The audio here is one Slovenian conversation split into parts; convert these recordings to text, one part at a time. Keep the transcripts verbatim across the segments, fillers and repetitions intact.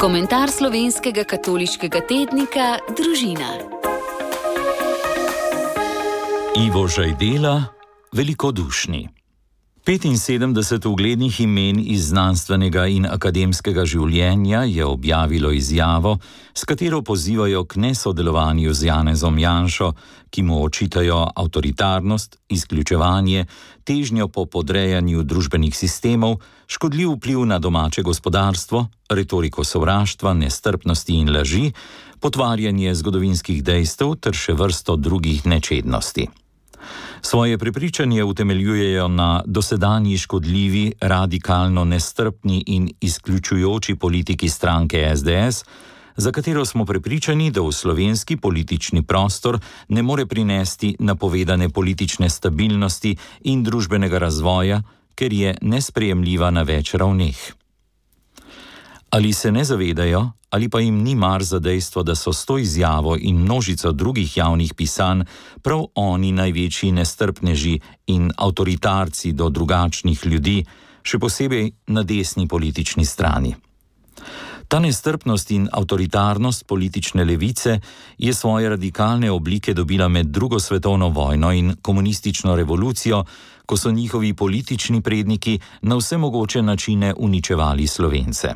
Komentar slovenskega katoliškega tednika Družina. Ivo Žajdela, velikodušni. petinsedemdeset uglednih imen iz znanstvenega in akademskega življenja je objavilo izjavo, s katero pozivajo k nesodelovanju z Janezom Janšo, ki mu očitajo avtoritarnost, izključevanje, težnjo po podrejanju družbenih sistemov, škodljiv vpliv na domače gospodarstvo, retoriko sovraštva, nestrpnosti in laži, potvarjanje zgodovinskih dejstev ter še vrsto drugih nečednosti. Svoje prepričanje utemeljujejo na dosedanji škodljivi, radikalno nestrpni in izključujoči politiki stranke es de es, za katero smo prepričani, da v slovenski politični prostor ne more prinesti napovedane politične stabilnosti in družbenega razvoja, ker je nesprejemljiva na več ravneh. Ali se ne zavedajo, ali pa jim ni mar za dejstvo, da so s to izjavo in množico drugih javnih pisanj prav oni največji nestrpneži in avtoritarci do drugačnih ljudi, še posebej na desni politični strani. Ta nestrpnost in avtoritarnost politične levice je svoje radikalne oblike dobila med drugo svetovno vojno in komunistično revolucijo, ko so njihovi politični predniki na vse mogoče načine uničevali Slovence.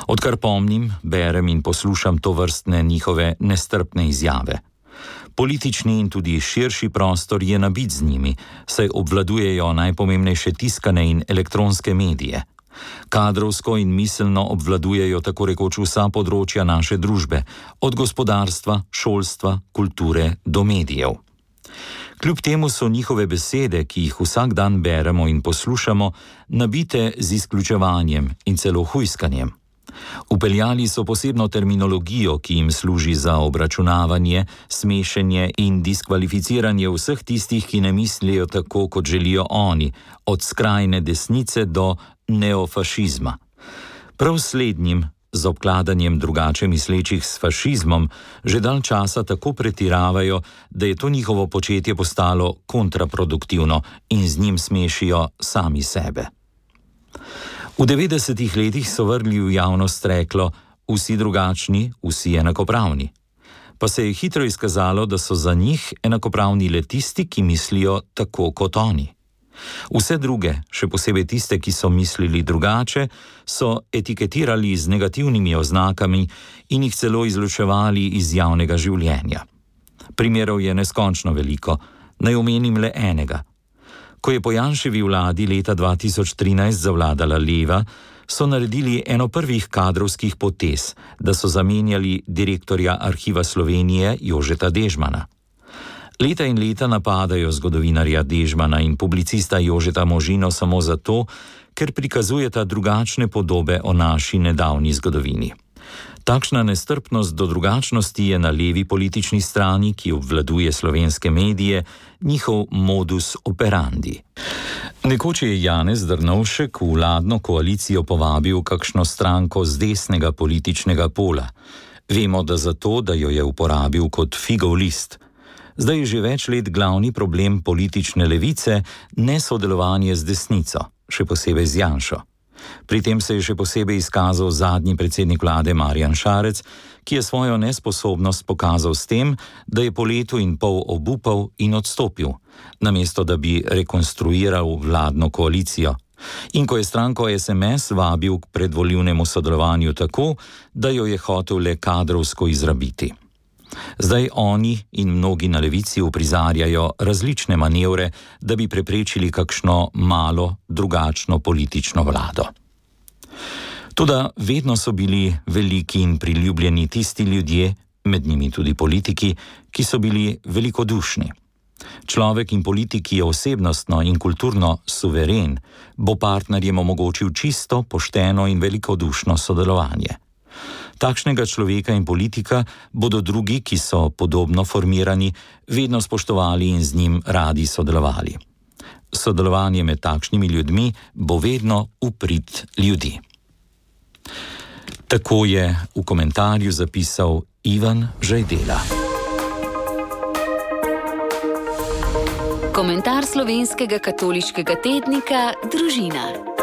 Odkar pomnim, berem in poslušam to vrstne njihove nestrpne izjave. Politični in tudi širši prostor je nabit z njimi, saj obvladujejo najpomembnejše tiskane in elektronske medije. Kadrovsko in miselno obvladujejo tako rekoč vsa področja naše družbe, od gospodarstva, šolstva, kulture do medijev. Kljub temu so njihove besede, ki jih vsak dan beremo in poslušamo, nabite z izključevanjem in celo hujskanjem. Upeljali so posebno terminologijo, ki jim služi za obračunavanje, smešenje in diskvalificiranje vseh tistih, ki ne mislijo tako, kot želijo oni, od skrajne desnice do neofašizma. Prav slednjim, z obkladanjem drugače mislečih s fašizmom, že dalj časa tako pretiravajo, da je to njihovo početje postalo kontraproduktivno in z njim smešijo sami sebe. V devetdesetih letih so vrgli v javnost reklo: vsi drugačni, vsi enakopravni. Pa se je hitro izkazalo, da so za njih enakopravni le tisti, ki mislijo tako kot oni. Vse druge, še posebej tiste, ki so mislili drugače, so etiketirali z negativnimi oznakami in jih celo izločevali iz javnega življenja. Primerov je neskončno veliko, naj omenim le enega. Ko je po Janševi vladi leta dva tisoč trinajst zavladala leva, so naredili eno prvih kadrovskih potez, da so zamenjali direktorja Arhiva Slovenije Jožeta Dežmana. Leta in leta napadajo zgodovinarja Dežmana in publicista Jožeta Možino samo zato, ker prikazujeta drugačne podobe o naši nedavni zgodovini. Takšna nestrpnost do drugačnosti je na levi politični strani, ki obvladuje slovenske medije, njihov modus operandi. Nekoč je Janez Drnovšek v vladno koalicijo povabil kakšno stranko z desnega političnega pola. Vemo, da zato, da jo je uporabil kot figov list. Zdaj je že več let glavni problem politične levice nesodelovanje z desnico, še posebej z Janšo. Pri tem se je še posebej izkazal zadnji predsednik vlade Marjan Šarec, ki je svojo nesposobnost pokazal s tem, da je po letu in pol obupal in odstopil, namesto da bi rekonstruiral vladno koalicijo. In ko je stranko es em es vabil k predvolilnemu sodelovanju tako, da jo je hotel le kadrovsko izrabiti. Zdaj oni in mnogi na levici uprizarjajo različne manevre, da bi preprečili kakšno malo, drugačno politično vlado. Toda vedno so bili veliki in priljubljeni tisti ljudje, med njimi tudi politiki, ki so bili velikodušni. Človek in politik, ki je osebnostno in kulturno suveren, bo partnerjem omogočil čisto, pošteno in velikodušno sodelovanje. Takšnega človeka in politika bodo drugi, ki so podobno formirani, vedno spoštovali in z njim radi sodelovali. Sodelovanje med takšnimi ljudmi bo vedno v prid ljudi. Tako je v komentarju zapisal Ivan Žajdela. Komentar slovenskega katoliškega tednika Družina.